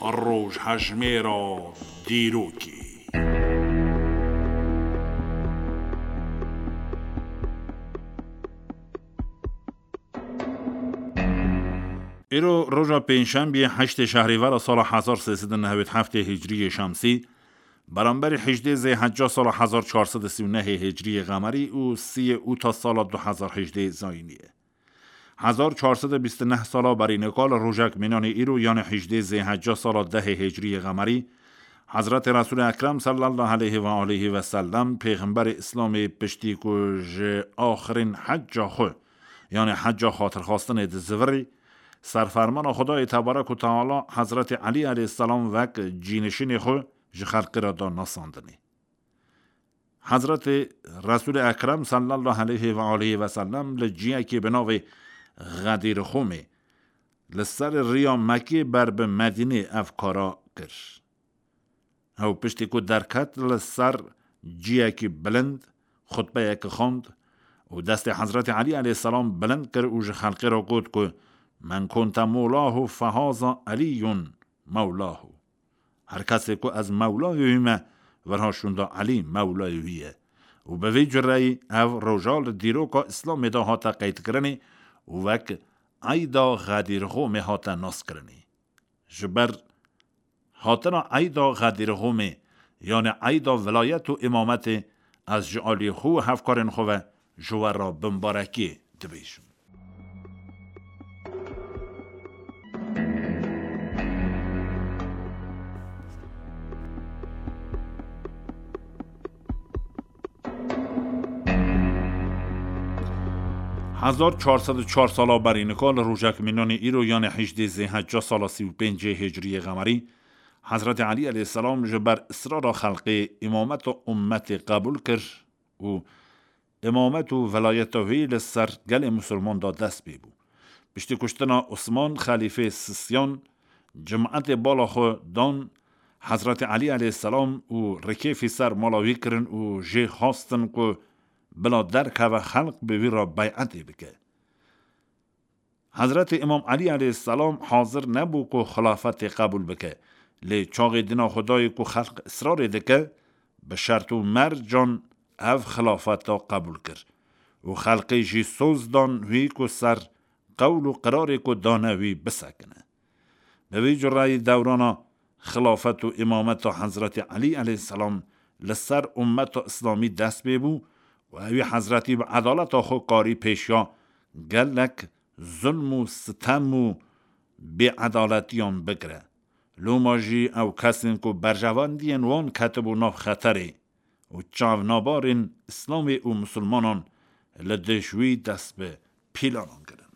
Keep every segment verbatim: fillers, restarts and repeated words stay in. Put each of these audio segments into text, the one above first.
Rojhejmêra dîrokê. Îro roja pêncşembiyê heştê şehrîvera sala hezar sê sed û newêd heftê hicriyê şemsî, beramberî hejdê zêhecca sala hezar çar sed û sî û nehê hicriyê qemerî û siyê ûta sala du hezar hejdê zayînî ye. Hezar çar sed û bîst û neh sala berî nika li rojek mînanê îro, yanê hejdê zêhecca sala dehê hicriyê qemerî, Hezretê Resûlê Ekrem sallallahu aleyhi ve aleyhi ve sellem, pêxemberê Îslamê, piştî ku ji axirîn hecca xwe, yanê hecca xatirxwestinê dizivirî, serfermana Xwedayê tebarek û teala Hezretê Elî aleyhisselam wek cînişînê xwe ji xelkê re da nasandinê. Hezretê Resûlê Ekrem sallallahu aleyhi ve aleyhi ve sellem li ciyekê bi navê Xedîr Xûmê li ser riya Mekkê ber bi Medînê ev kara kir. Ew piştî ku derket, li ser ciyekî bilind xutbeyekî xwend û destê Hezretê Elî aleyhisselam bilind kir û ji xelkê re got ku, "Men kunte mewlahu fehaza Elîyun mewlahu." Her kesê ku ez mewlayê wî me, virha şûnda Elî mewlayê wî ye. Û bi vî cureyî ev roja li dîroka Îslamê de hate qeydkirinê û wek Eyda Xedîr Xûmê hate naskirinê. Ji ber hatina Eyda Xedîr Xûmê, yanê Eyda vilayet û îmametê, ez ji aliyê xwe û hevkarên xwe ve ji we re bimbarekiyê dibêjim. Hezar çar sed û çar sala berî nika li rojek mînanê îro, yanê hejdê zêhecca sala sî û pêncê hicriyê qemerî, Hezretê Elî aleyhisselam ji ber israra xelkê îmameta ummetê qebûl kir û îmamet û velayeta wî li ser gelê misilman da dest pê bû. Piştî kuştina Osman xelîfê sisiyan, cimetê bala xwe dan Hezretê Elî aleyhisselam û rikêfî ser mala wî kirin û jê xwestin ku bila derkeve xelk bi wî re beyetê bike. Hezretê Îmam Elî aleyhisselam hazir nebû ku xilafetê qebûl bike. Lê çaxê dina xwe dayê ku xelk israrê dike, bi şert û mercan ev xilafeta qebûl kir. Û xelkê jî soz dan wî ku ser qewl û qirarê ku dane wî bisekine. Bi vî cureyî dewrana xilafet û îmameta Hezretê Elî aleyhisselam li ser ummeta Îslamî dest pê bû û ewî Hezretî bi edaleta xwe karî pêşiya gelek zulm û sitem û bêedaletiyan bigire. Loma jî ew kesên ku berjewendiyên wan ketibû nav xeterê û çavnabarên Îslamê û misilmanan li dij wî dest bi pîlanan kirin.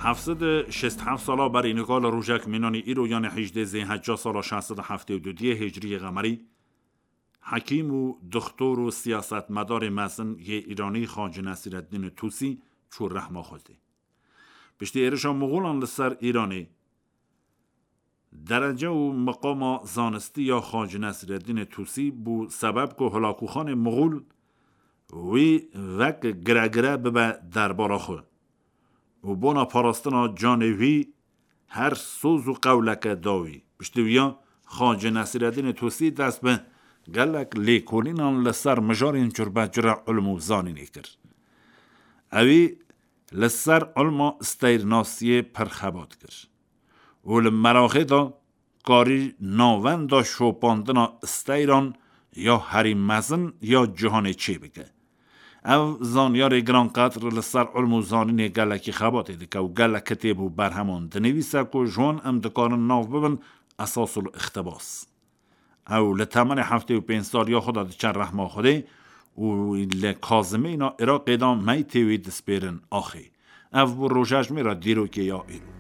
Heft sed û şêst heft sala berî nika li rojek mînanî îro, yanê hejdê zêhecca sala şeş sed û heftê û du diyê hicriyê qemerî, hekîm û doxtor û siyasetmedarê mezin yê Îranî Xacî Nesîreddînê Tusî çû rehma Xwedê. Piştî êrişa Moxolan li ser Îranê, derece û miqama zanistî ya Xacî Nesîreddînê Tusî bû sebeb ku hilakûxanê Moxol wî wek giregire bibe derbala xwe û bona parastina canê wî her soz û qewleke da wî. Piştî wiya Xacî Nesîreddînê Tusî dest bi gelek lêkolînan li ser mijarên curbecure ilm û zanînê kir. Ewî li ser ilma steyrnasiyê pir xebat kir û li meraxê de karî navenda şopandina steyran ya herî mezin ya cîhanê çêbike. Ev zanyarê giranqedr li ser ilm û zanînê gelekî xebatê dike û gelek kitêb û berheman dinivîse ku ji wan em dikarin nav bibin esas û îqtibas. Ew li temenê heftê û pênc saliya xwe de diçe rehma Xwedê û li kazimêna Iraqê de meytê wî dispêrin axê. Ev bû rojejmêra dîrokê ya îro.